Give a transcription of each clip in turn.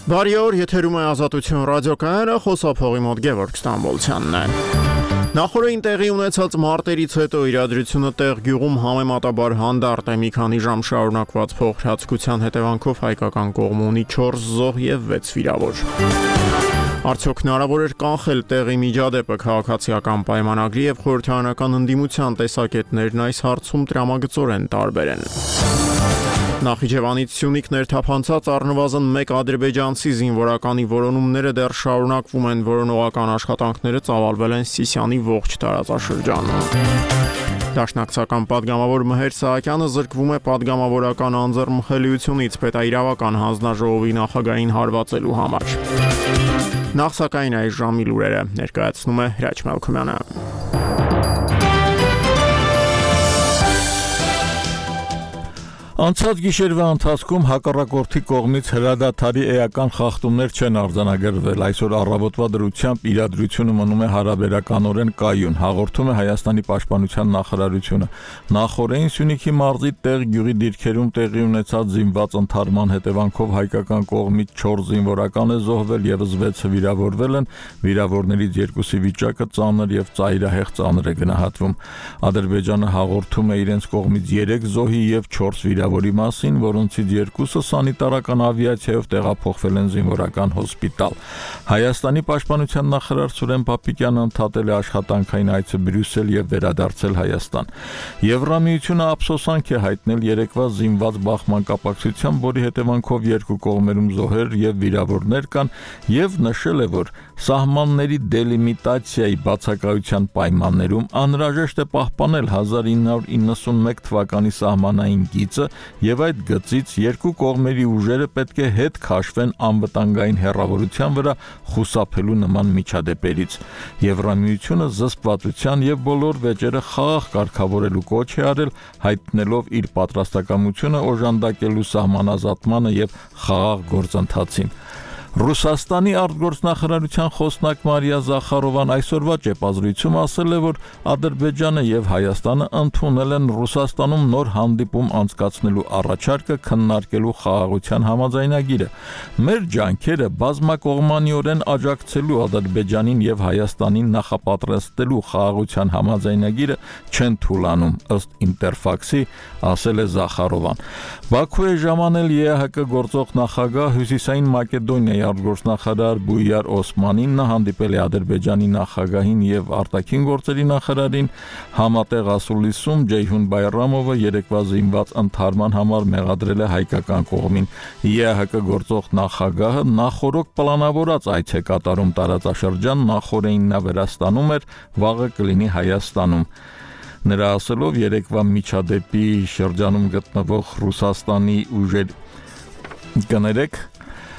Բարի օր, եթերում է Ազատություն ռադիոկայանը, խոսափողի մոտ Գևորգ Ստամբոլցյանն է։ Նախորդին տեղի ունեցած մարտերից հետո իրադրությունը տեղ գյուղում համեմատաբար հանդարտ է, մի քանի ժամ շարունակված փոխհրացքության հետևանքով հայկական կողմը ունի 4 զոհ եւ 6 վիրավոր։ Արդյոք հնարավոր էր կանխել տեղի միջադեպը քաղաքացիական պայմանագրի եւ խորհրդարանական ընդդիմության տեսակետներն այս հարցում տրամագծորեն տարբեր են։ Նախիջևանից Սյունիք ներթափանցած առնվազն 1 ադրբեջանցի զինվորականի որոնումները դեռ շարունակվում են, որոնողական աշխատանքները ծավալվել են Սիսիանի ողջ տարածաշրջանում։ Դաշնակցական պատգամավոր Մհեր Սահակյանը զրկվում է պատգամավորական անձեռնմխելիությունից պետաիրավական հանձնաժողովի նախագահին հարվածելու համար։ Նախ սակայն այս ժամի լուրերը ներկայացնում է Հրաչ Մելքումյանը։ Անցած գիշերվա ընթացքում հակառակորդի կողմից հրադադարի էական խախտումներ չեն արձանագրվել, այսօր առավոտվա դրությամբ իրադրությունը մնում է հարաբերականորեն կայուն, հաղորդում է Հայաստանի պաշտպանության նախարարությունը։ Նախորդին Սյունիքի մարզի տեղ գյուղի դիրքերում տեղի ունեցած զինված ընդհարման հետևանքով հայկական կողմից 4 զինվորական է զոհվել, եւս 6-ը վիրավորվել են, վիրավորներից 2-ի վիճակը ծանր եւ ծայրահեղ ծանր է գնահատվում։ Ադրբեջանը հաղորդում է իրենց կողմից 3 զոհի եւ 4 վիրավորի մասին, որոնցից 2-ը սանիտարական ավիացիայով տեղափոխվել են զինվորական հոսպիտալ։ Հայաստանի պաշտպանության նախարար Սուրեն Պապիկյանը ընդհատել է աշխատանքային այցը Բրյուսել եւ վերադարձել Հայաստան։ Եվրամիությունը ափսոսանք է հայտնել երեկվա զինված բախման կապակցությամբ, որի հետևանքով երկու կողմերում զոհեր եւ վիրավորներ կան, եւ նշել է, որ սահմանների դելիմիտացիայի բացակայության պայմաններում անհրաժեշտ է պահպանել 1991 թվականի սահմանային գիծը եւ այդ գծից երկու կողմերի ուժերը պետք է հետ քաշվեն անվտանգային հեռավորության վրա խուսափելու նման միջադեպերից։ Եվրամիությունը զսպվածության եւ բոլոր վեճերը խաղաղ կարգավորելու կոչ է արել, հայտնելով իր պատրաստակամությունը օժանդակելու սահմանազատմանը եւ խաղաղ գործընթացին։ Ռուսաստանի արտգործնախարարության խոսնակ Մարիա Զախարովան այսօրվա ճեպազրույցում ասել է, որ Ադրբեջանը եւ Հայաստանը ընդունել են Ռուսաստանում նոր հանդիպում անցկացնելու առաջարկը քննարկելու խաղաղության համաձայնագիրը։ Մեր ջանքերը բազմակողմանիորեն աջակցելու Ադրբեջանին եւ Հայաստանին նախապատրաստելու խաղաղության համաձայնագիրը չեն թուլանում, ըստ Ինտերֆաքսի, ասել է Զախարովան։ Բաքու է ժամանել ԵԱՀԿ գործող նախագահ Հյուսիսային Մակեդոնիայի արտգործնախարար Բույար Օսմանին, նա հանդիպել է Ադրբեջանի նախագահին եւ արտաքին գործերի նախարարին, համատեղ ասուլիսում Ջեյհուն Բայրամովը երեկվա զինված ընդհարման համար մեղադրել է հայկական կողմին։ ԵԱՀԿ գործող նախագահը նախորոք պլանավորած այց է կատարում տարածաշրջան, նախորդին նա Վրաստանում էր, վաղը կլինի Հայաստանում։ Նրա ասելով երեկվա միջադեպի շրջանում գտնվող Ռուսաստանի ուժեր կներեք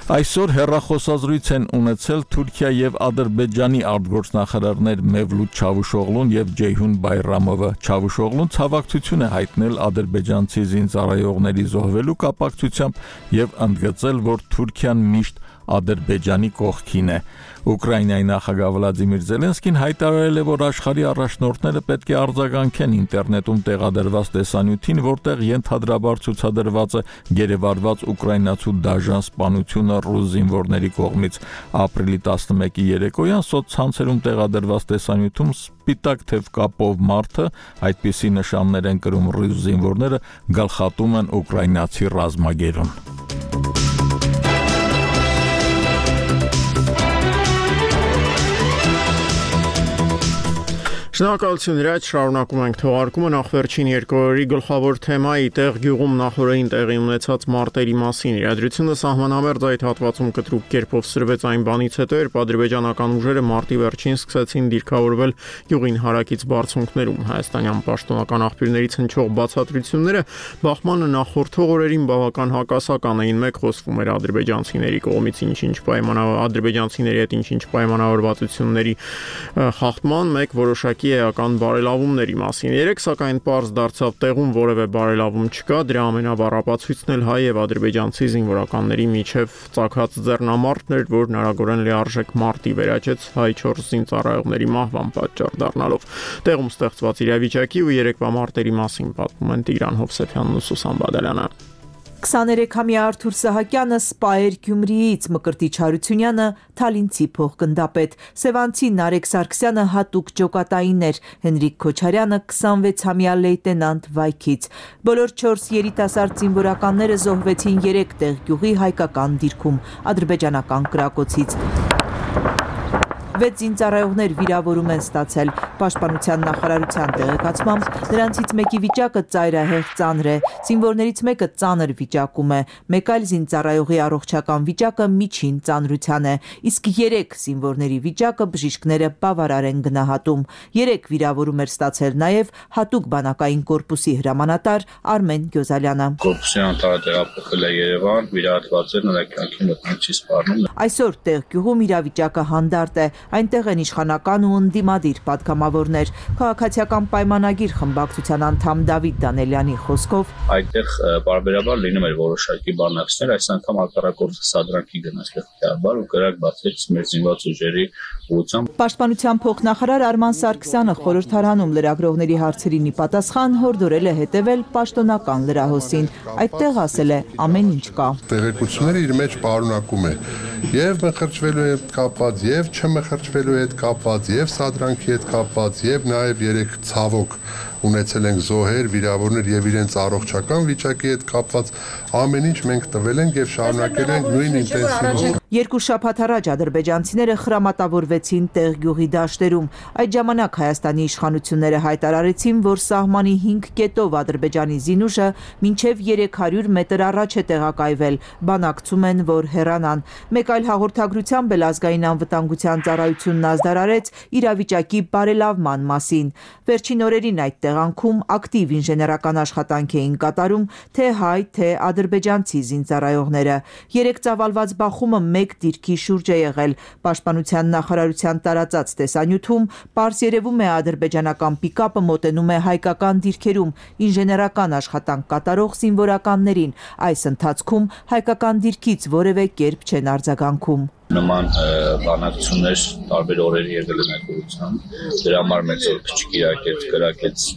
այսօր հեռախոսազրույց են ունեցել Թուրքիա եւ Ադրբեջանի արտգործնախարարներ Մևլութ Չավուշօղլուն եւ Ջեյհուն Բայրամովը։ Չավուշօղլուն ցավակցություն է հայտնել ադրբեջանցի զինծառայողների զոհվելու կապակցությամբ եւ ընդգծել, որ Թուրքիան միշտ Ադրբեջանի կողքին է։ Ուկրաինայի նախագահ Վլադիմիր Զելենսկին հայտարարել է, որ աշխարհի առաջնորդները պետք է արձագանքեն ինտերնետում տեղադրված տեսանյութին, որտեղ ենթադրաբար ցուցադրված է գերեվարված ուկրաինացու դաժան սպանությունը ռուս զինվորների կողմից։ Ապրիլի 11-ի երեկոյան սոցցանցերում տեղադրված տեսանյութում սպիտակ թև կապով մարդը, այդպիսի նշաններ են կրում ռուս զինվորները, գլխատում են ուկրաինացի ռազմագերուն։ Շնորհակալություն Հրաչ, շարունակում ենք թողարկումը նախ վերջին 2 օրերի գլխավոր թեմայի տեղ գյուղում նախորդին տեղի ունեցած մարտերի մասին։ Իրադրությունը սահմանամերձ այդ հատվածում կտրուկ կերպով սրվեց այն բանից հետո, երբ ադրբեջանական ուժերը մարտի վերջին սկսեցին դիրքավորվել գյուղին հարակից բարձունքներում։ Հայաստանյան պաշտոնական աղբյուրներից հնչող բացատրությունները բախմանը նախորդող օրերին բավական հակասական էին։ Մեկ խոսվում էր ադրբեջանցիների կողմից ադրբեջանցիների հետ ինչ-ինչ պայմանավորվածությունների խախտման, մեկ որոշակի էական բարելավումների մասին։ Երեք սակայն պարզ դարձավ տեղում որևէ բարելավում չկա, դրա ամենավառ ապացույցն էլ հայ եւ ադրբեջանցի զինվորականների միջև ծագած ձեռնամարտն էր, որ հնարավորեն լիարժեք մարտի վերաճեց հայ 4 զինծառայողների մահվան պատճառ դառնալով։ Տեղում ստեղծված իրավիճակի ու երեկվա մարտերի մասին պատմում են Տիգրան Հովսեփյանն ու Սուսան Բադալյանը։ 23-ամյա Արթուր Սահակյանը Սպայեր Գյումրիից, Մկրտիչ Հարությունյանը Թալինցի փոխգնդապետ, Սևանցի Նարեկ Սարգսյանը հատուկ ջոկատային էր, Հենրիկ Քոչարյանը 26-ամյա լեյտենանտ Վայքից։ Բոլոր 4 երիտասարդ զինվորականները զոհվեցին 3 տեղ գյուղի հայկական դիրքում, ադրբեջանական կրակոցից։ 6 զինծառայողներ վիրավորում են ստացել։ Պաշտպանության նախարարության տեղեկացմամբ նրանցից մեկի վիճակը ծայրահեղ ծանր է, զինվորներից մեկը ծանր վիճակում է, մեկ այլ զինծառայողի առողջական վիճակը միջին ծանրության է, իսկ 3 զինվորների վիճակը բժիշկները բավարար են գնահատում։ 3 վիրավորում էր ստացել նաև հատուկ բանակային կորպուսի հրամանատար Արմեն Գյոզալյանը։ Կորպուսի անդամը տեղափոխել է Երևան, վիրահատված է, նրա կյանքի մոտ չի սպառնում։ Այսօր տեղ գյուղում իրավիճակը հանդարտ է, այնտեղ են իշխանական ու ընդդիմադիր պատգամավորներ։ Քաղաքացիական պայմանագիր խմբակցության անդամ Դավիթ Դանելյանի խոսքով այդտեղ բարբերաբար լինում էր որոշակի բանակցներ, այս անգամ հակառակորդը սադրանքի գնաց լեգիտիմաբար ու կրակ բացեց մեր զինված ուժերի ուղղությամբ։ Պաշտպանության փոխնախարար Արման Սարգսյանը խորհրդարանում լրագրողների հարցերին ի պատասխան հորդորել է հետևել պաշտոնական լրահոսին։ Այդտեղ ասել է ամեն ինչ կա։ Տեղեկությունները իր մեջ պարունակում է եւ մխրճվելու հետ կապված, եւ չմխրճվելու հետ կապված, եւ սադրանքի հետ կապված, եւ նաեւ 3 ցավոք ունեցել ենք զոհեր, վիրավորներ եւ իրենց առողջական վիճակի հետ կապված ամեն ինչ մենք տվել ենք եւ շարունակել ենք նույն ինտենսիվով։ 2 շաբաթ առաջ ադրբեջանցիները խրամատավորվեցին տեղ գյուղի դաշտերում։ Այդ ժամանակ Հայաստանի իշխանությունները հայտարարեցին, որ սահմանի 5 կետով Ադրբեջանի զինուժը մինչև 300 մետր առաջ է տեղակայվել, բանակցում են, որ հեռանան։ Մեկ այլ հաղորդագրությամբ էլ ազգային անվտանգության ծառայությունն ազդարարեց իրավիճակի բարելավման մասին։ Վերջին օրերին այդ տեղանքում ակտիվ ինժեներական աշխատանք էին կատարում թե հայ, թե ադրբեջանցի զինծառայողները։ 3 ծավալված բախումը մեկ դիրքի շուրջ է եղել։ Պաշտպանության նախարարության տարածած տեսանյութում պարզ երևում է ադրբեջանական պիկապը մոտենում է հայկական դիրքերում ինժեներական աշխատանք կատարող զինվորականներին։ Այս ընթացքում հայկական դիրքից որևէ կերպ չեն արձագանքում։ Նման բանակցություններ տարբեր օրերի եղել են այդ ուղղությամբ։ Դրա համար մեծ օր քչկիրակեց, կրակեց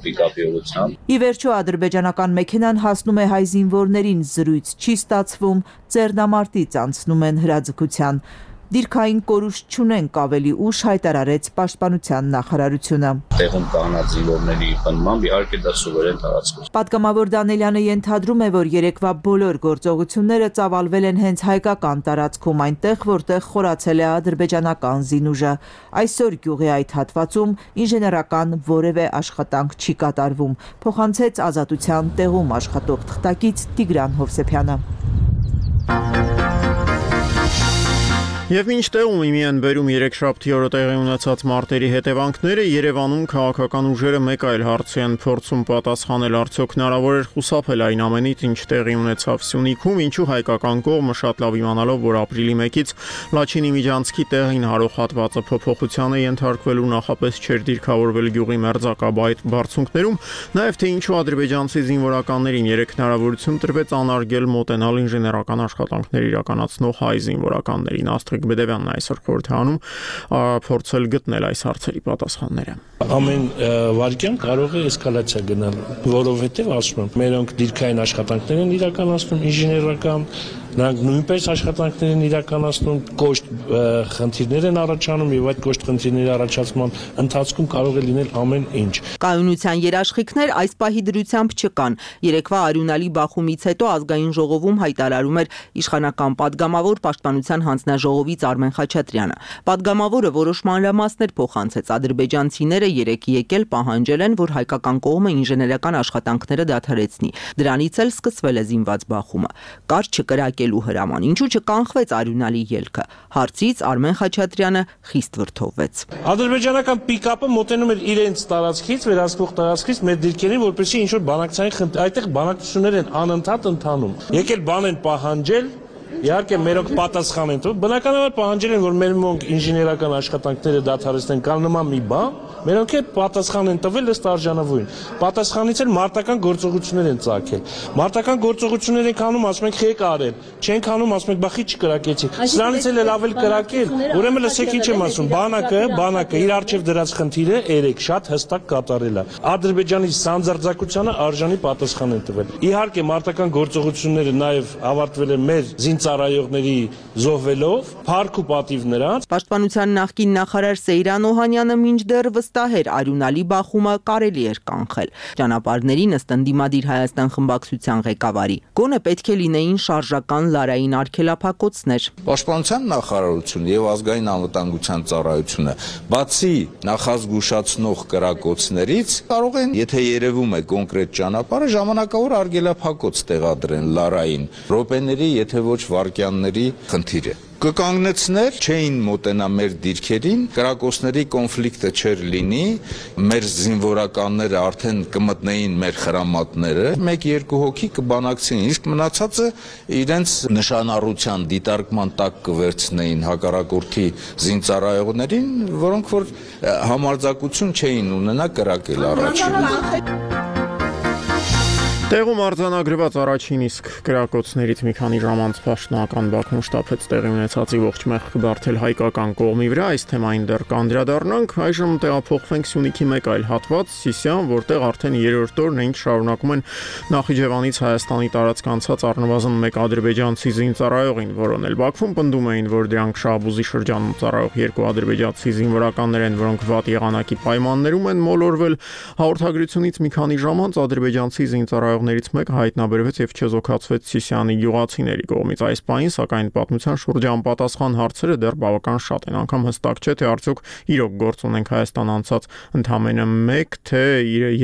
պիկապի ուղղությամբ։ Ի վերջո ադրբեջանական մեքենան հասնում է հայ զինվորներին, զրույց չի ստացվում, ձեռնամարտից անցնում են հրաձգության։ Դիրքային կորուստ չունենք, ավելի ուշ հայտարարեց պաշտպանության նախարարությունը։ Տեղում կանած զինվորների բնմամբ իհարկե դա սուվերեն տարածք է։ Պատգամավոր Դանելյանը ենթադրում է, որ երեկվա բոլոր գործողությունները ծավալվել են հենց հայկական տարածքում, այնտեղ, որտեղ խորացել է ադրբեջանական զինուժը։ Այսօր գյուղի այդ հատվածում ինժեներական որևէ աշխատանք չի կատարվում, փոխանցեց Ազատության տեղում աշխատող թղթակից Տիգրան Հովսեփյանը։ Եվ մինչ տեղում իմի են բերում երեքշաբթի օրը տեղի ունեցած մարտերի հետևանքները, Երևանում քաղաքական ուժերը մեկ այլ հարցի են փորձում պատասխանել, արդյոք հնարավոր էր խուսափել այն ամենից, ինչ տեղի ունեցավ Սյունիքում, ինչու հայկական կողմը շատ լավ իմանալով, որ ապրիլի 1-ից Լաչինի Միջանցքի տեղին հարող հատվածը փոփոխության է ենթարկվելու, նախապես չէր դիրքավորվել գյուղի մերձակաբայդ բարձունքներում, նաև թե ինչու ադրբեջանցի զինվորականներին 3 հնարավորություն տրվեց անարգել մոտենալ ինժեներական աշխատանքներ իրականացնող հայ զինվորականներին։ Բեդևյանն այսօր խորհրդանում փորձել գտնել այս հարցերի պատասխանները։ Ամեն վարքյան կարող է էսկալացիա գնալ, որովհետև ասում եմ, մերոնք դիրքային աշխատանքներ են իրականացնում, ինժեներական, նրանք նույնպես աշխատանքներ են իրականացնում, կոշտ խնդիրներ են առաջանում եւ այդ կոշտ խնդիրների առաջացման ընթացքում կարող է լինել ամեն ինչ։ Կայունության երաշխիքներ այս պահի դրությամբ չկան։ Երեկվա արյունալի բախումից հետո ազգային ժողովում հայտարարում էր իշխանական падգամավոր պաշտպանության հանձնաժողովից Արմեն Խաչատրյանը։ Падգամավորը որոշ մանրամասներ փոխանցեց, ադրբեջանցիները երեկ եկել պահանջել են, որ հայկական կողմը ինժեներական աշխատանքները դադարեցնի։ Դրանից էլ սկսվել է զինված բախումը։ Կար չկրակելու հրաման, ինչու չկանխվեց արյունալի ելքը։ Հարցից Արմեն Խաչատրյանը խիստ վրդովվեց։ Ադրբեջանական պիկապը մոտենում էր իրենց տարածքից, վերահսկող տարածքից մեր դիրքերին, որպեսզի ինչ որ բանակցային այդտեղ բանակցություններ են անընդհատ ընթանում։ Եկել բան են պահանջել, Իհարկե մերոնք պատասխան են տվել, բնականաբար պահանջել են, որ մեր մոնք ինժեներական աշխատանքները դադարեցնեն կամ նման մի բան, մերոնք էլ պատասխան են տվել ըստ արժանավորին։ Պատասխանից էլ մարտական գործողություններ են ծագել։ Մարտական գործողություններ ենք անում, ասում ենք եք արել, չենք անում, ասում ենք բախի չկրակեցիք։ Սրանից էլ ավել կրակել, ուրեմն լսեք ինչ եմ ասում, բանակը իր արժև դրած խնդիրը երեք շատ հստակ կատարել է։ Ադրբեջանի սանձարձակությանը արժանի պատասխան են տվել։ Իհարկե մարտական գործողությունները նաև ավարտվել են մեր զինծառայողների զոհվելով, փառք ու պատիվ նրանց։ Պաշտպանության նախկին նախարար Սեյրան Օհանյանը մինչդեռ վստահ էր արյունալի բախումը կարելի էր կանխել։ Ճանապարհներին ըստ ընդդիմադիր Հայաստան խմբակցության ղեկավարի գոնե պետք է լինեին շարժական լարային արգելափակոցներ։ Պաշտպանության նախարարությունը եւ ազգային անվտանգության ծառայությունը բացի նախազգուշացնող կրակոցներից կարող են, եթե երևում է կոնկրետ ճանապարհը, ժամանակավոր արգելափակոց տեղադրեն լարային րոպեների, եթե ոչ վայրկյանների խնդիրը կկանգնեցներ, չէին մոտենա մեր դիրքերին, կրակոցների կոնֆլիկտը չէր լինի, մեր զինվորականները արդեն կմտնեին մեր խրամատները, 1-2 հոգի կբանակցեին, իսկ մնացածը իրենց նշանառության դիտարկման տակ կվերցնեին հակառակորդի զինծառայողներին, որոնք որ համարձակություն չէին ունենա կրակել առաջին։ Տեղում արձանագրված առաջին իսկ կրակոցներից մի քանի ժամ անց պաշտոնական Բաքվում շտապեց տեղի ունեցածի ողջ մեղքը բարթել հայկական կողմի վրա, այս թեմային դեռ կանդրադառնանք, այժմ տեղափոխվենք Սյունիքի մեկ այլ հատված, Սիսիան, որտեղ արդեն երրորդ օրն ինչ շարունակում են Նախիջևանից Հայաստանի տարածք անցած առնվազն մեկ ադրբեջանցի զինծառայողին որոնել։ Բաքվում պնդում էին, որ դրանք Շահբուզի շրջանում ծառայող երկու ադրբեջանցի զինվորականներ են, որոնք վատ եղանակի պայմաններում են մոլորվել։ Հաղորդագրությունից մի քանի ժամ անց ադրբեջանցի զինծառայողներից մեկը հայտնաբերվեց եւ չեզոքացվեց Սիսիանի գյուղացիների կողմից։ Այս պահին, սակայն պատմության շուրջ անպատասխան հարցերը դեռ բավական շատ են, անգամ հստակ չէ, թե արդյոք իրոք գործ ունենք Հայաստան անցած ընդամենը մեկ, թե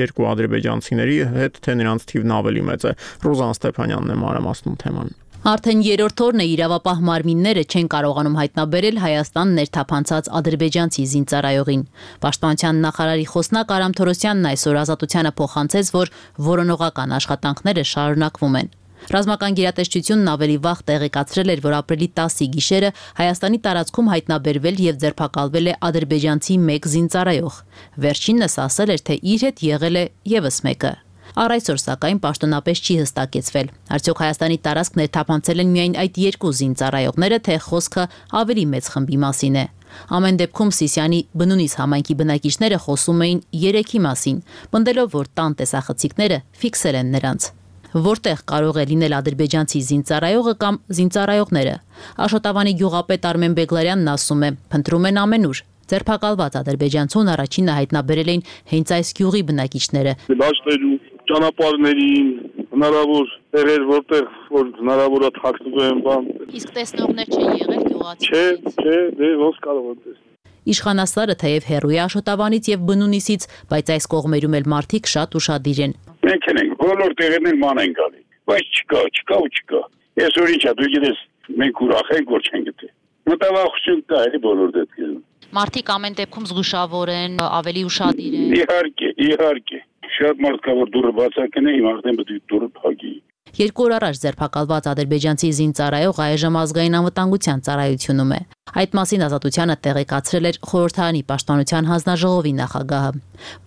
երկու ադրբեջանցիների հետ, թե նրանց թիվն ավելի մեծ է։ Ռուզան Ստեփանյանն է մանրամասնում թեման։ Արդեն երրորդ օրն է իրավապահ մարմինները չեն կարողանում հայտնաբերել Հայաստան ներթափանցած ադրբեջանցի զինծառայողին։ Պաշտպանության նախարարի խոսնակ Արամ Թորոսյանն այսօր Ազատությանը փոխանցեց, որ որոնողական աշխատանքները շարունակվում են։ Ռազմական գերատեսչությունն ավելի վաղ տեղեկացրել էր, որ ապրիլի 10-ի գիշերը Հայաստանի տարածքում հայտնաբերվել եւ ձերբակալվել է ադրբեջանցի մեկ զինծառայող։ Վերջինս ասել էր, թե իր հետ եղել է եւս մեկը։ Առ այսօր սակայն պաշտոնապես չի հստակեցվել։ Արդյոք Հայաստանի տարածք ներթափանցել են միայն այդ երկու զինծառայողները, թե խոսքը ավելի մեծ խմբի մասին է։ Ամեն դեպքում Սիսիանի բնունիս համայնքի բնակիչները խոսում էին 3-ի մասին, պնդելով, որ տան տեսախցիկները ֆիքսել են նրանց։ Որտեղ կարող է լինել ադրբեջանցի զինծառայողը կամ զինծառայողները։ Աշոտավանի գյուղապետ Արմեն Բեգլարյանն ասում է, փնտրում են ամենուր։ Ձերբակալված ադրբեջանցուն առաջինը հայտնաբերել էին հենց այս գյուղի բնակիչները։ Դաշտերում, ճանապարհներին, հնարավոր տեղեր, որտեղ որ հնարավոր է թաքնվում են բան։ Իսկ տեսնողներ չեն եղել գյուղացիներից։ Չէ, դե ոնց կարող են տեսնել։ Իշխանասարը թեև հեռու է Աշոտավանից եւ բնունիսից, բայց այս կողմերում էլ մարդիկ շատ ուշադիր են։ Մենք ենք բոլոր տեղերն ման են գալի, բայց չկա։ Այսօր ինչա դու գիտես, մենք ուրախ ենք, որ չեն գտել։ Մտավախություն կա էլի բոլոր դեպքերում։ Մարդիկ ամեն դեպքում զգուշավոր են, ավելի ուշադիր են։ Իհարկե։ Շատ մարդ կա, որ դուրը բացակն է, իմ արդեն պետք է դուրը փակի։ 2 օր առաջ ձերբակալված ադրբեջանցի զինծառայող այժմ ազգային անվտանգության ծառայությունում է։ Այդ մասին Ազատությանը տեղեկացրել էր Խորհրդարանի պաշտպանության հանձնաժողովի նախագահը։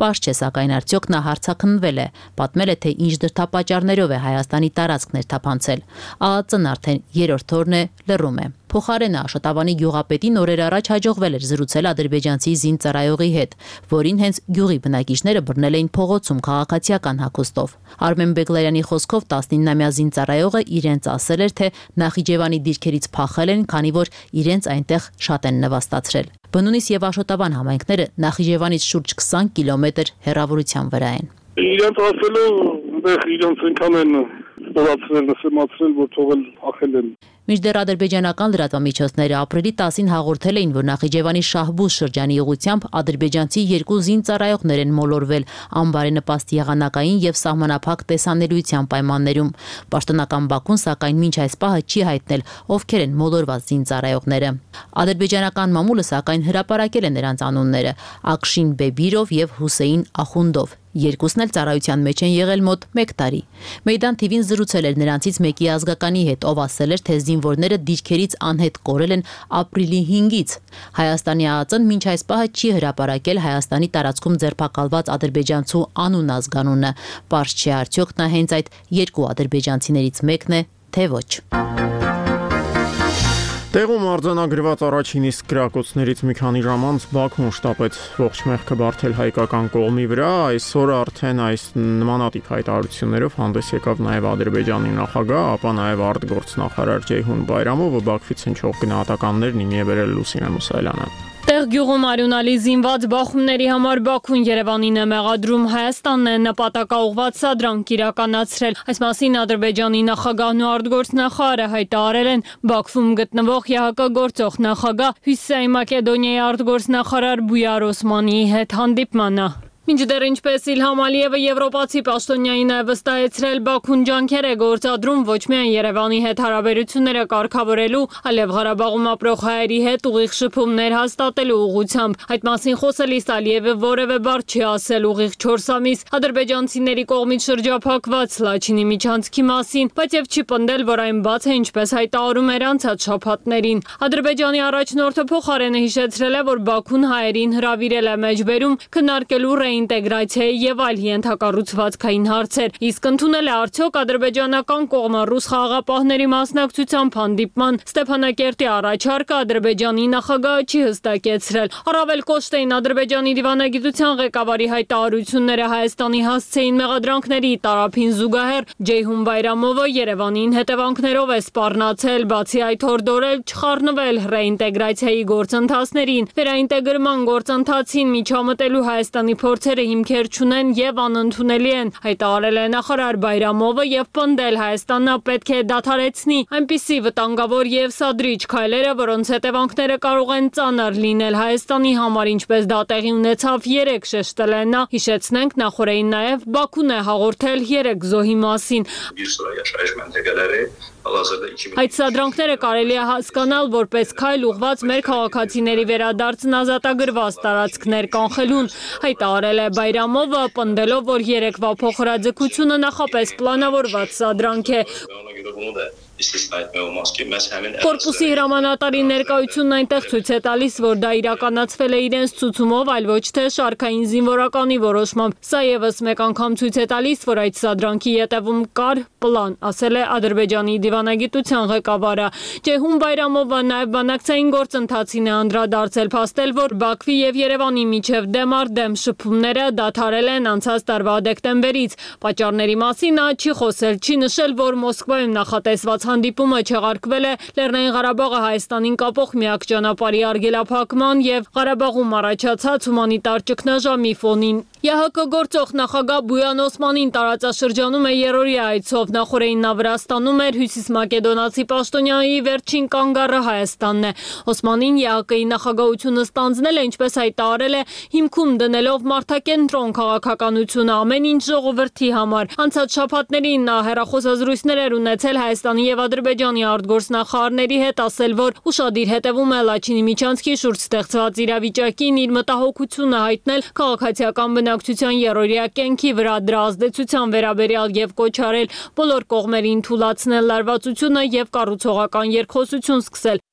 Պարզ չէ, սակայն արդյոք նա հարցաքննվել է, պատմել է, թե ինչ դրդապատճառներով է Հայաստանի տարածք ներթափանցել։ ԱԱԾ-ն արդեն երրորդ օրն է լռում է։ Փոխարենը Աշոտավանի գյուղապետին օրեր առաջ հաջողվել էր զրուցել ադրբեջանցի զինծառայողի հետ, որին հենց գյուղի բնակիչները բռնել էին փողոցում քաղաքացիական հագուստով։ Արմեն Բեգլարյանի խոսքով 19-ամյա զինծառայողը իրենց ասել էր, թե Նախիջևանի դիրքերից փախել են, քանի որ իրենց այնտեղ շատ են նվաստացրել։ Բնունիս եւ Աշոտավան համայնքները Նախիջևանից շուրջ 20 կիլոմետր հեռավորության վրա են։ Իրենց ասելով, իրենց այնքան են ստորացրել, նսեմացրել, որ թողել փախել են։ Մինչդեռ ադրբեջանական լրատվամիջոցները ապրիլի 10-ին հաղորդել էին, որ Նախիջևանի Շահբուզ շրջանի ուղղությամբ ադրբեջանցի երկու զինծառայողներ են մոլորվել անբարենպաստ եղանակային եւ սահմանափակ տեսանելիության պայմաններում։ Պաշտոնական Բաքուն սակայն մինչ այս պահը չի հայտնել, ովքեր են մոլորված զինծառայողները։ Ադրբեջանական մամուլը սակայն հրապարակել է նրանց անունները՝ Ակշին Բեբիրով եւ Հուսեյն Ախունդով։ Երկուսն էլ ծառայության մեջ են եղել մոտ 1 տարի։ Մեյդան TV-ն զրուցել էր նրանցից մեկի ազգականի հետ, ով ասել էր, թե զինվորները դիրքերից անհետ կորել են ապրիլի 5-ից։ Հայաստանի ԱԱԾ-ն մինչ այս պահը չի հրապարակել Հայաստանի տարածքում ձերբակալված ադրբեջանցու անուն ազգանունը։ Պարզ չէ արդյոք նա հենց այդ երկու ադրբեջանցիներից մեկն է, թե ոչ։ Տեղում արձանագրված առաջին իսկ գրակոծներից մի քանի ժամ անց Բաքուն շտապեց ողջ մեղքը բարթել հայկական կողմի վրա, այսօր արդեն այս նմանատիպ հայտարարություններով հանդես եկավ նաև Ադրբեջանի նախագահ, ապա նաև արտգործնախարար Ջեյհուն Բայրամովը Բաքվից հնչող գնահատականներն իմի է բերել Լուսինե Մուսայելյանը։ Տեղ գյուղում արյունալի զինված բախումների համար Բաքուն Երևանին է մեղադրում, Հայաստանն է նպատակաուղղված սադրանք իրականացրել։ Այս մասին Ադրբեջանի նախագահն ու արտգործնախարարը հայտարարել են Բաքվում գտնվող ԵՀԿ գործող նախագահ Հյուսիսային Մակեդոնիայի արտգործնախարար Բույար Օսմանիի հետ հանդիպմանը։ Մինչդեռ ինչպես Իլհամ Ալիևը եվրոպացի պաշտոնյային է վստահեցրել, Բաքուն ջանքեր է գործադրում ոչ միայն Երևանի հետ հարաբերությունները կարգավորելու, այլև Ղարաբաղում ապրող հայերի հետ ուղիղ շփումներ հաստատելու ուղղությամբ։ Այդ մասին խոսելիս Ալիևը որևէ բառ չի ասել ուղիղ 4 ամիս ադրբեջանցիների կողմից շրջափակված Լաչինի միջանցքի մասին, բայց եւ չի պնդել, որ այն բաց է, ինչպես հայտարարում էր անցած շաբաթներին։ Ադրբեջանի առաջնորդը փոխարենը հիշեցրել է, որ Բաքուն հայերին հրավիրել է մեջբերում քննարկելու ինտեգրացիայի եւ այլ ենթակառուցվածքային հարցեր, իսկ ընդունել է արդյոք ադրբեջանական կողմը ռուս խաղաղապահների մասնակցությամբ հանդիպման Ստեփանակերտի առաջարկը Ադրբեջանի նախագահը չի հստակեցրել։ Առավել կոշտ էին Ադրբեջանի դիվանագիտության ղեկավարի հայտարարությունները Հայաստանի հասցեին մեղադրանքների տարափին զուգահեռ Ջեյհուն Բայրամովը Երևանին հետևանքներով է սպառնացել, բացի այդ հորդորել չխառնվել ռեինտեգրացիայի գործընթացներին, վերաինտեգրման գործընթացին միջամտելու Հայաստանի փորձերը հիմքեր չունեն եւ անընդունելի են, հայտարարել է նախարար Բայրամովը եւ պնդել Հայաստանը պետք է դադարեցնի այնպիսի վտանգավոր եւ սադրիչ քայլերը, որոնց հետևանքները կարող են ծանր լինել Հայաստանի համար, ինչպես դա տեղի ունեցավ 3 շեշտել է նա։ Հիշեցնենք, նախորդին նաեւ Բաքուն է հաղորդել 3 զոհի մասին։ Այդ սադրանքները կարելի է հասկանալ որպես քայլ ուղղված մեր քաղաքացիների վերադարձն ազատագրված տարածքներ կանխելուն, հայտարարել է Բայրամովը, պնդելով, որ երեկվա փոխհրաձգությունը նախապես պլանավորված սադրանք է։ Կորպուսի հրամանատարի ներկայությունն այնտեղ ցույց է տալիս, որ դա իրականացվել է իրենց ցուցումով, այլ ոչ թե շարքային զինվորականի որոշմամբ։ Սա եւս մեկ անգամ ցույց է տալիս, որ այդ սադրանքի ետևում կար պլան, ասել է Ադրբեջանի դիվանագիտության ղեկավարը։ Ջեյհուն Բայրամովը նաեւ բանակցային գործընթացին է անդրադարձել, փաստել, որ Բաքվի եւ Երևանի միջև դեմ առ դեմ շփումները դադարել են անցած տարվա դեկտեմբերից։ Պատճառների մասին նա չի խոսել, չի նշել, որ Մոսկվայում նախատեսված հանդիպումը չեղարկվել է Լեռնային Ղարաբաղը Հայաստանին կապող միակ ճանապարհի արգելափակման եւ Ղարաբաղում առաջացած հումանիտար ճգնաժամի ֆոնին։ ԵՀԿ գործող նախագահ Բույան Օսմանին տարածաշրջանում է երրորդյա այցով, նախորդին նա Վրաստանում էր, Հյուսիս Մակեդոնացի պաշտոնյայի վերջին կանգառը Հայաստանն է։ Օսմանին ԵՀԿ-ի նախագահությունը ստանձնել է, ինչպես հայտարարել է, հիմքում դնելով մարդակենտրոն քաղաքականությունը ամեն ինչ ժողովրդի համար։ Անցած շաբաթներին նա հեռախոսազրույցներ էր ունեցել Հայաստանի եւ Ադրբեջանի արտգործնախարարների հետ, ասել, որ ուշադիր հետևում է Լաչինի միջանցքի շուրջ ստեղծված իրավիճակին, իր մտահոգությունը հայտնել քաղաքացիական բնակչության երրորդյա կենքի վրա, դրա ազդեցության վերաբերյալ եւ կոչ արել բոլոր կողմերին թուլացնել լարվածությունը եւ կառուցողական երկխոսություն սկսել։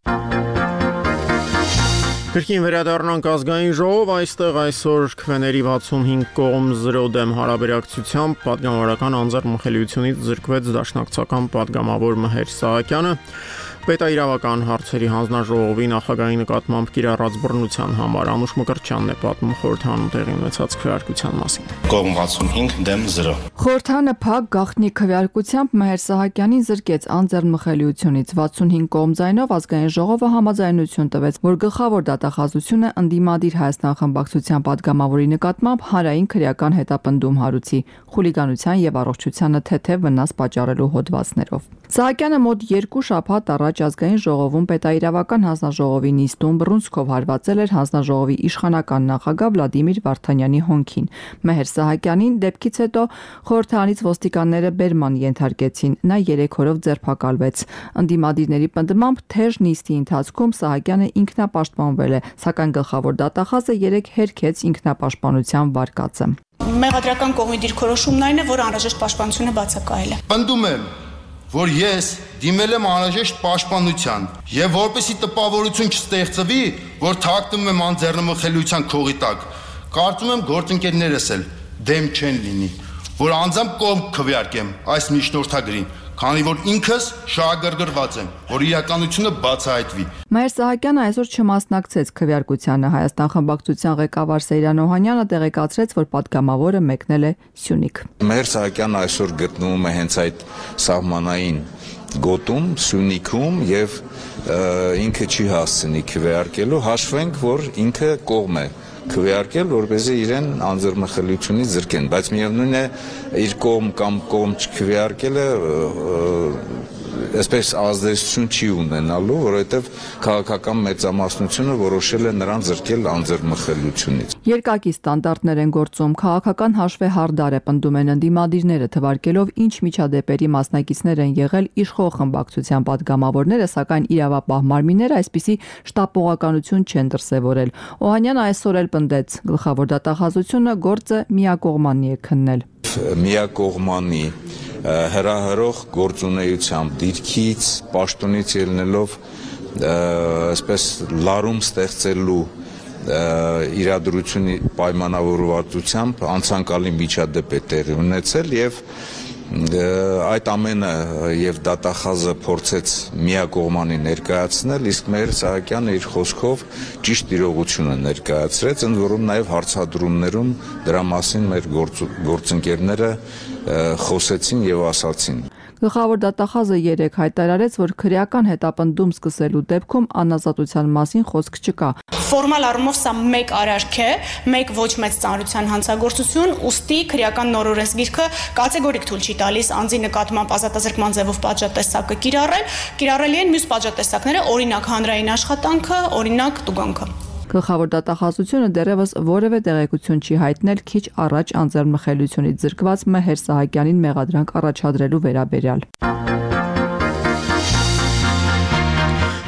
Կրկին վերադառնանք ազգային ժողով, այստեղ այսօր քվեների 65 կողմ 0 դեմ հարաբերակցությամբ պատգամավորական անձեռնմխելիությունից զրկվեց դաշնակցական պատգամավոր Մհեր Սահակյանը։ Պետաիրավական հարցերի հանձնաժողովի նախագահի նկատմամբ կիրառած բռնության համար Անուշ Մկրտչյանն է պատմում խորհրդանում տեղի ունեցած քվեարկության մասին։ Կողմ 65 դեմ 0։ Խորհրդանը փակ գաղտնի քվեարկությամբ Մհեր Սահակյանին զրկեց անձեռնմխելիությունից 65 կողմ ձայնով ազգային ժողովը համաձայնություն տվեց, որ գլխավոր դատախազությունը ընդդիմադիր Հայաստան խմբակցության պատգամավորի նկատմամբ հանրային քրեական հետապնդում հարուցի խուլիգանության եւ առողջությանը թեթև վնաս պատճառելու հոդվածներով։ Սահակյանը մոտ 2 շաբաթ առաջ Ազգային ժողովում պետաիրավական հանձնաժողովի նիստում բռունցքով հարվածել էր հանձնաժողովի իշխանական նախագահ Վլադիմիր Վարդանյանի հոնքին։ Մեհեր Սահակյանին դեպքից հետո խորհրդարանից ոստիկանները բերման ենթարկեցին, նա 3 օրով ձերբակալվեց։ Ընդդիմադիրների պնդմամբ թեժ նիստի ընթացքում Սահակյանը ինքնապաշտպանվել է, սակայն գլխավոր դատախազը 3 հերքեց ինքնապաշտպանության վարկածը։ Մեղադրական կողմի դիրքորոշումն այն է, որ անհրաժեշտ պաշտպանությունը բացակայել է։ Պնդում եմ, որ ես դիմել եմ անհրաժեշտ պաշտպանության եւ որպեսի տպավորություն չստեղծվի, որ թաքնվում եմ անձեռնմխելիության քողի տակ, կարծում եմ գործընկերներս էլ դեմ չեն լինի, որ անձամբ կողմ քվեարկեմ այս միջնորդագրին, քանի որ ինքս շահագրգռված եմ, որ իրականությունը բացահայտվի։ Մայր Սահակյանը այսօր չմասնակցեց քվեարկությանը։ Հայաստան խմբակցության ղեկավար Սեյրան Օհանյանը տեղեկացրեց, որ պատգամավորը մեկնել է Սյունիք։ Մայր Սահակյանը այսօր գտնվում է հենց այդ սահմանային գոտում, Սյունիքում եւ ինքը չի հասցնի քվեարկելու, հաշվենք, որ ինքը կողմ է քվեարկել, որպեսզի իրեն անձեռնմխելիությունից զրկեն, բայց միևնույն է իր կողմ կամ կողմ չքվեարկելը այսպես ազդեցություն չի ունենալու, որովհետև քաղաքական մեծամասնությունը որոշել է նրան զրկել անձեռնմխելիությունից։ Երկակի ստանդարտներ են գործում, քաղաքական հաշվեհարդար է, պնդում են ընդդիմադիրները, թվարկելով ինչ միջադեպերի մասնակիցներ են եղել իշխող խմբակցության պատգամավորները, սակայն իրավապահ մարմինները այսպիսի շտապողականություն չեն դրսևորել։ Օհանյանը այսօր էլ պնդեց, գլխավոր դատախազությունը գործը միակողմանի է քննել։ Միակողմանի հրահրող գործունեությամբ դիրքից, պաշտոնից ելնելով այսպես լարում ստեղծելու իրադրությունի պայմանավորվածությամբ անցանկալի միջադեպ է տեղի ունեցել եւ այդ ամենը եւ դատախազը փորձեց միակողմանի ներկայացնել, իսկ Մհեր Սահակյանը իր խոսքով ճիշտ իրողությունը ներկայացրեց, ընդ որում նաեւ հարցադրումներում դրա մասին մեր գործընկերները խոսեցին եւ ասացին։ Գլխավոր դատախազը 3 հայտարարեց, որ քրեական հետապնդում սկսելու դեպքում անազատության մասին խոսք չկա։ Ֆորմալ առումով սա մեկ արարք է, մեկ ոչ մեծ ծանրության հանցագործություն, ուստի քրեական նորորես գիրքը կատեգորիկ թույլ չի տալիս անձի նկատմամբ ազատազրկման ձևով պատժատեսակը կիրառելի են մյուս պատժատեսակները, օրինակ հանրային աշխատանքը, օրինակ տուգանքը։ Գլխավոր դատախազությունը դեռևս որևէ տեղեկություն չի հայտնել քիչ առաջ անձեռնմխելիությունից զրկված Մհեր Սահակյանին մեղադրանք առաջադրելու վերաբերյալ։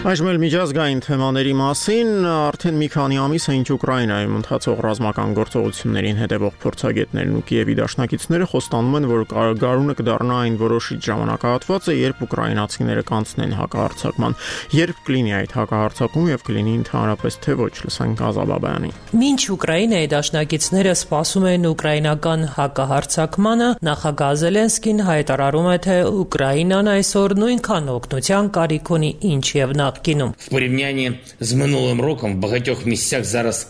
Այժմ էլ միջազգային թեմաների մասին, արդեն մի քանի ամիս է ինչ Ուկրաինայում ընթացող ռազմական գործողություններին հետևող փորձագետներն ու Կիևի դաշնակիցները խոստանում են, որ գարունը կդառնա այն որոշիչ ժամանակահատվածը, երբ ուկրաինացիները կանցնեն հակահարձակման, երբ կլինի այդ հակահարձակումը եւ կլինի ընդհանրապես թե ոչ, լսենք Ազաբաբյանի։ Մինչ Ուկրաինայի դաշնակիցները սպասում են ուկրաինական հակահարձակմանը, նախագահ Զելենսկին հայտարարում է, թե Ուկրաինան այսօր նույնքան օգնության կարիք ունի, ինչ եւ նախկինում։ В порівнянні з минулим роком в багатьох місцях зараз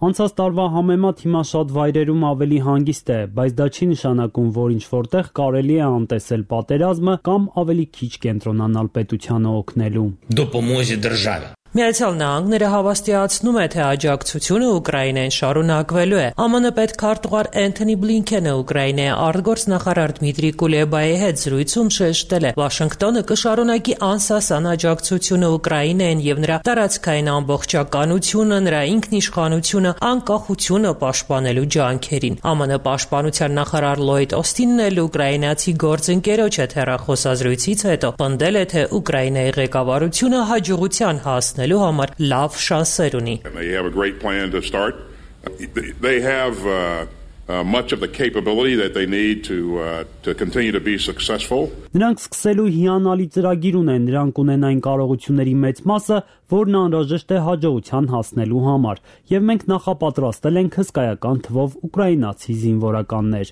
Անցած տարվա համեմատ հիմա շատ վայրերում ավելի հանգիստ է, բայց դա չի նշանակում, որ ինչ որտեղ կարելի է անտեսել պատերազմը կամ ավելի քիչ կենտրոնանալ պետությանը օգնելու։ Допомозі державі Միացյալ Նահանգները հավաստիացնում է, թե աջակցությունը Ուկրաինային շարունակվելու է։ ԱՄՆ պետքարտուղար Էնթոնի Բլինքենը Ուկրաինայի արտգործնախարար Դմիտրի Կուլեբայի հետ զրույցում շեշտել է. Վաշինգտոնը կշարունակի անսասան աջակցությունը Ուկրաինային եւ նրա տարածքային ամբողջականությունը, նրա ինքնիշխանությունը, անկախությունը պաշտպանելու ջանքերին։ ԱՄՆ պաշտպանության նախարար Լոյդ Օստինն էլ ուկրաինացի գործընկերոջ հետ հեռախոսազրույցից հետո պնդել է, թե Ուկրաինայի ղեկավարությունը հաջողության հասնել համար լավ շանսեր ունի։ They have a great plan to start. They have much of the capability that they need to continue to be successful. Նրանք սկսելու հիանալի ծրագիր ունեն, նրանք ունեն այն կարողությունների մեծ մասը, որն անհրաժեշտ է հաջողության հասնելու համար, եւ մենք նախապատրաստել ենք հսկայական թվով ուկրաինացի զինվորականներ։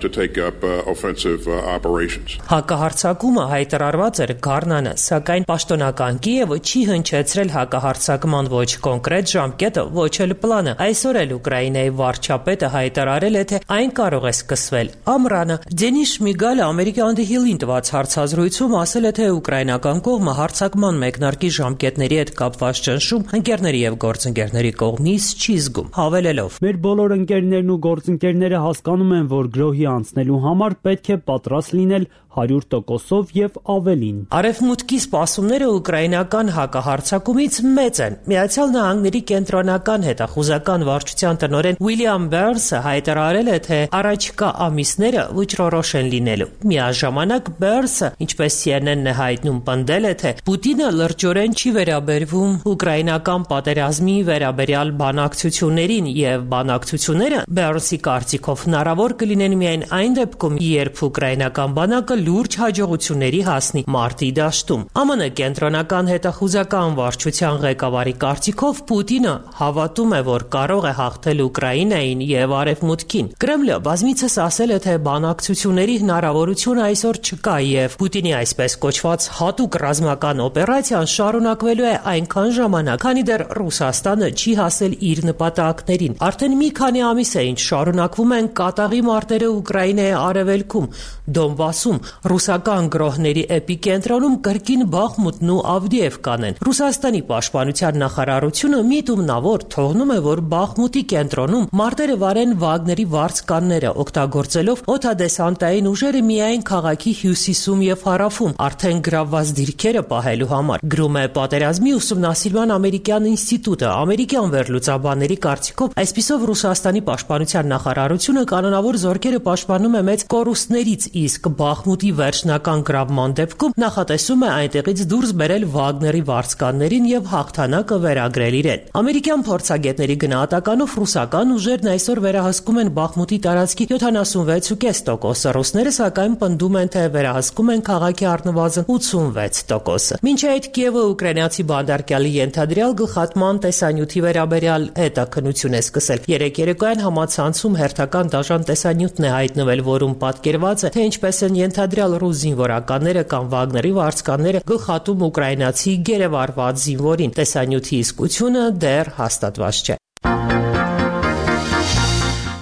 To take up offensive operations. Հակահարձակումը հայտարարված էր գարնանը, սակայն պաշտոնական Կիևը չի հնչեցրել հակահարձակման ոչ կոնկրետ ժամկետը, ոչ էլ պլանը։ Այսօր էլ Ուկրաինայի վարչապետը հայտարարել հայտարարել է, թե այն կարող է սկսվել ամռանը։ Դենիս Շմիգալը Ամերիկի On the Hill-ին տված հարցազրույցում ասել է, թե ուկրաինական կողմը հարձակման մեկնարկի ժամկետների հետ կապված ճնշում ընկերների եւ գործընկերների կողմից չի զգում, հավելելով. Մեր բոլոր ընկերներն ու գործընկերները հասկանում են, որ գրոհի անցնելու համար պետք է պատրաստ լինել 100%-ով եւ ավելին։ Արևմուտքի սպասումները ուկրաինական հակահարձակումից մեծ են։ Միացյալ Նահանգների կենտրոնական հետախուզական վարչության տնօրեն Ուիլյամ Բերնսը հայտարարել է, թե առաջիկա ամիսները վճռորոշ են լինելու։ Միաժամանակ Բերնսը, ինչպես CNN-ն է հայտնում, պնդել է, թե Պուտինը լրջորեն չի վերաբերվում ուկրաինական պատերազմի վերաբերյալ բանակցություններին եւ բանակցությունները Բերնսի կարծիքով հնարավոր կլինեն միայն այն դեպքում, երբ ուկրաինական բանակը լուրջ հաջողությունների հասնի մարտի դաշտում։ ԱՄՆ կենտրոնական հետախուզական վարչության ղեկավարի կարծիքով Պուտինը հավատում է, որ կարող է հաղթել Ուկրաինային եւ Արևմուտքին։ Կրեմլը բազմիցս ասել է, թե բանակցությունների հնարավորություն այսօր չկա եւ Պուտինի այսպես կոչված հատուկ ռազմական օպերացիան շարունակվելու է այնքան ժամանակ, քանի դեռ Ռուսաստանը չի հասել իր նպատակներին։ Արդեն մի քանի ամիս է, ինչ շարունակվում են կատաղի մարտերը Ուկրաինայի արևելքում, Դոնբասում, ռուսական գրոհների էպիկենտրոնում կրկին Բախմուտն ու Ավդիևկան են։ Ռուսաստանի պաշտպանության նախարարությունը միտումնավոր թողնում է, որ Բախմուտի կենտրոնում մարտերը վարեն Վագների վարձկանները, օգտագործելով օդադեսանտային ուժերը միայն քաղաքի հյուսիսում եւ հարավում, արդեն գրավված դիրքերը պահելու համար։ Գրում է Պատերազմի ուսումնասիրման ամերիկյան ինստիտուտը։ Ամերիկյան վերլուծաբանների կարծիքով այսպիսով Ռուսաստանի պաշտպանության նախարարությունը կանոնավոր զորքերը պաշտպանում է մեծ կորուստներից, իսկ Բախմուտի վերջնական գրավման դեպքում նախատեսում է այնտեղից դուրս բերել Վագների վարձկաններին եւ հաղթանակը վերագրել իրեն։ Ամերիկյան փորձագետների գնահատականով ռուսական ուժերն այսօր վերահսկում են Բախմուտի տարածքի 76.5%, ռուսները սակայն պնդում են, թե վերահսկում են քաղաքի առնվազն 86%։ Մինչ այդ Կիևը ուկրաինացի բանդարկյալի ենթադրյալ գլխատման տեսանյութի վերաբերյալ հետաքննություն է սկսել։ Երեկ երեկոյան համացանցում հերթական դաժան տեսանյութն է հայտնվել, որում պատկերված է, թե ինչպես են ենթադրյալ ռուս զինվորականները կամ Վագների վարձկանները գլխատում ուկրաինացի գերեվարված զինվորին։ Տեսանյութի իսկությունը դեռ հաստատված չէ։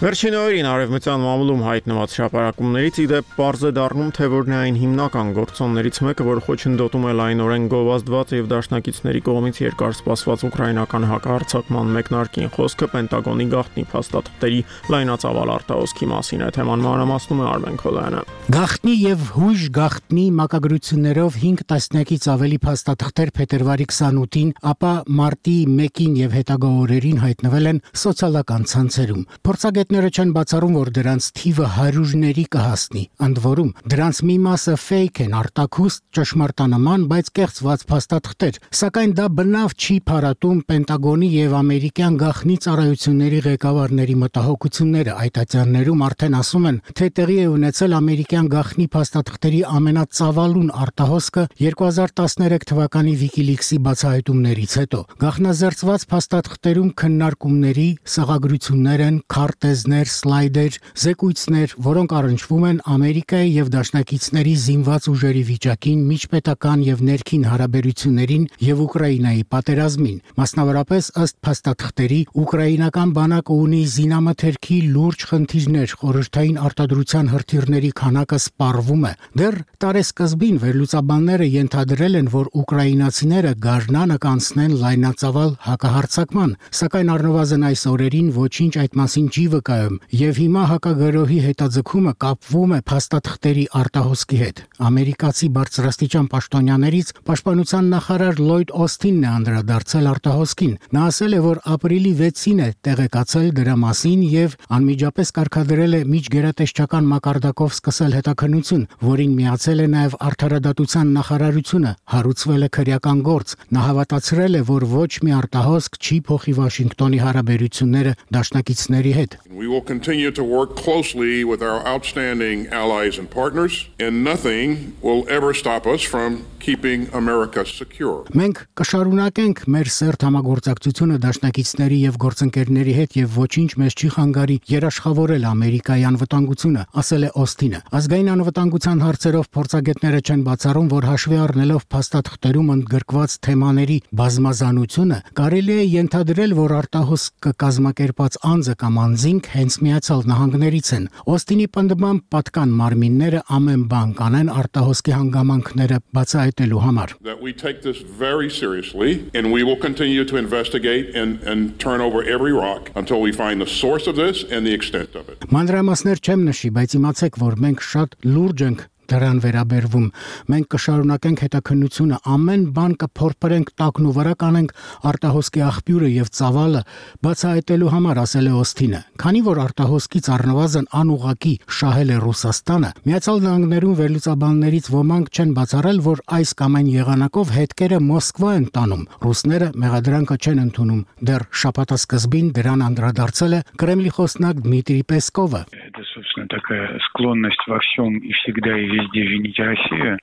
Վերջին օրերին արևմտյան մամուլում հայտնված հրապարակումներից ի դեպ պարզ է դառնում, թե որն է այն հիմնական գործոններից մեկը, որ խոչընդոտում է լայնորեն գովազդված եւ դաշնակիցների կողմից երկար սպասված ուկրաինական հակահարձակման մեկնարկին։ Խոսքը Պենտագոնի գաղտնի փաստաթղթերի լայնածավալ արտահոսքի մասին է, թեման մանրամասնում է Արմեն Քոլյանը։ Գաղտնի եւ հույժ գաղտնի մակագրություններով 5 տասնյակից ավելի փաստաթղթեր փետրվարի 28-ին, ապա մարտի 1-ին եւ հետագա օրերին հայտնվել են սոցիալական ցանցերում։ Փորձագետները չեն բացառում, որ դրանց թիվը հարյուրների կհասնի, ընդ որում դրանց մի մասը ֆեյք են, արտաքուստ, ճշմարտանման, բայց կեղծված փաստաթղթեր, սակայն դա բնավ չի փարատում Պենտագոնի եւ ամերիկյան գաղտնի ծառայությունների ղեկավարների մտահոգությունները։ Այդ ատյաններում արդեն ասում են, թե տեղի է ունեցել ամերիկյան գաղտնի փաստաթղթերի ամենածավալուն արտահոսքը 2013 թվականի WikiLeaks-ի բացահայտումներից հետո։ Գաղտնազերծված փաստաթղթերում քննարկումների, սղագրություններ են, քարտեզներ, սլայդեր, զեկույցներ, որոնք առնչվում են Ամերիկայի եւ դաշնակիցների զինված ուժերի վիճակին, միջպետական եւ ներքին հարաբերություններին եւ Ուկրաինայի պատերազմին։ Մասնավորապես ըստ փաստաթղթերի ուկրաինական բանակը ունի զինամթերքի լուրջ խնդիրներ, խորհրդային արտադրության հրթիռների քանակը սպառվում է։ Դեռ տարեսկզբին վերլուծաբանները ենթադրել են, որ ուկրաինացիները գարնանը կանցնեն լայնածավալ հակահարձակման, սակայն առնվազն այս օրերին ոչինչ այդ մասին չի վկայում, եւ հիմա հակագրոհի հետաձգումը կապվում է փաստաթղթերի արտահոսքի հետ։ Ամերիկացի բարձրաստիճան պաշտոնյաներից պաշտպանության նախարար Լլոյդ Օսթինն է անդրադարձել արտահոսքին։ Նա ասել է, որ ապրիլի 6-ին է տեղեկացել դրա մասին եւ անմիջապես կարգադրել է միջգերատեսչական մակարդակով սկսել հետաքննություն, որին միացել է նաեւ Արդարադատության նախարարությունը, հարուցվել է քրեական գործ։ Նա հավատացրել է, որ ոչ մի արտահոսք չի փոխի Վաշինգտոնի հարաբերությունները դաշնակիցների հետ։ We will continue to work closely with our outstanding allies and partners, and nothing will ever stop us from keeping America secure. Մենք կշարունակենք մեր սերտ համագործակցությունը դաշնակիցների եւ գործընկերների հետ եւ ոչինչ մեզ չի խանգարի երաշխավորել Ամերիկայի անվտանգությունը, ասել է Օսթինը։ Ազգային անվտանգության հարցերով փորձագետները չեն բացառում, որ հաշվի առնելով փաստաթղթերում ընդգրկված թեմաների բազմազանությունը, կարելի է ենթադրել, որ արտահոսք կազմակերպած անձը կամ անձինք մենք հենց Միացյալ Նահանգներից են։ Օստինի պնդմամբ պատկան մարմինները ամեն բան կանեն արտահոսքի հանգամանքները բացահայտելու համար։ That we take this very seriously and we will continue to investigate and turn over every rock until we find the source of this and the extent of it. Մանրամասներ չեմ նշի, բայց իմացեք, որ մենք շատ լուրջ ենք դրան վերաբերվում։ Մենք կշարունակենք հետաքննությունը, ամեն բան կփորփրենք, տակն ու վրա կանենք արտահոսքի աղբյուրը եւ ծավալը բացահայտելու համար, ասել է Օստինը։ Քանի որ արտահոսքից առնվազն անուղակի շահել է Ռուսաստանը, Միացյալ Նահանգներում վերլուծաբաններից ոմանք չեն բացառել, որ այս կամ այն եղանակով հետքերը Մոսկվա են տանում։ Ռուսները մեղադրանքը չեն ընդունում։ Դեռ շաբաթասկզբին դրան անդրադարձել է Կրեմլի խոսնակ Դմիտրի Պեսկովը։ Это, собственно, такая склонность во всем и всегда и везде винить Россию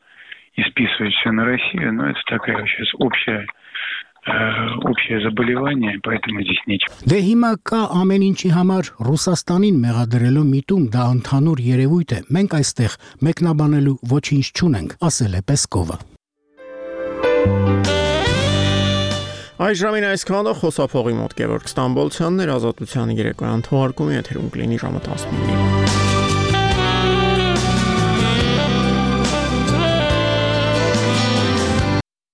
и списывать все на Россию, но это такая сейчас общее заболевание, поэтому здесь нечего. Դե հիմա կա ամեն ինչի համար Ռուսաստանին մեղադրելու միտում, դա ընդհանուր երևույթ է։ Մենք այստեղ մեկնաբանելու ոչինչ չունենք, ասել է Պեսկովը։ Այժմին այսքանը խոսափողի մոտ Գևորգ Ստամբոլցյանն էր, Ազատության երեկոյան թողարկումի եթերում կլինի ժամը 19-ին։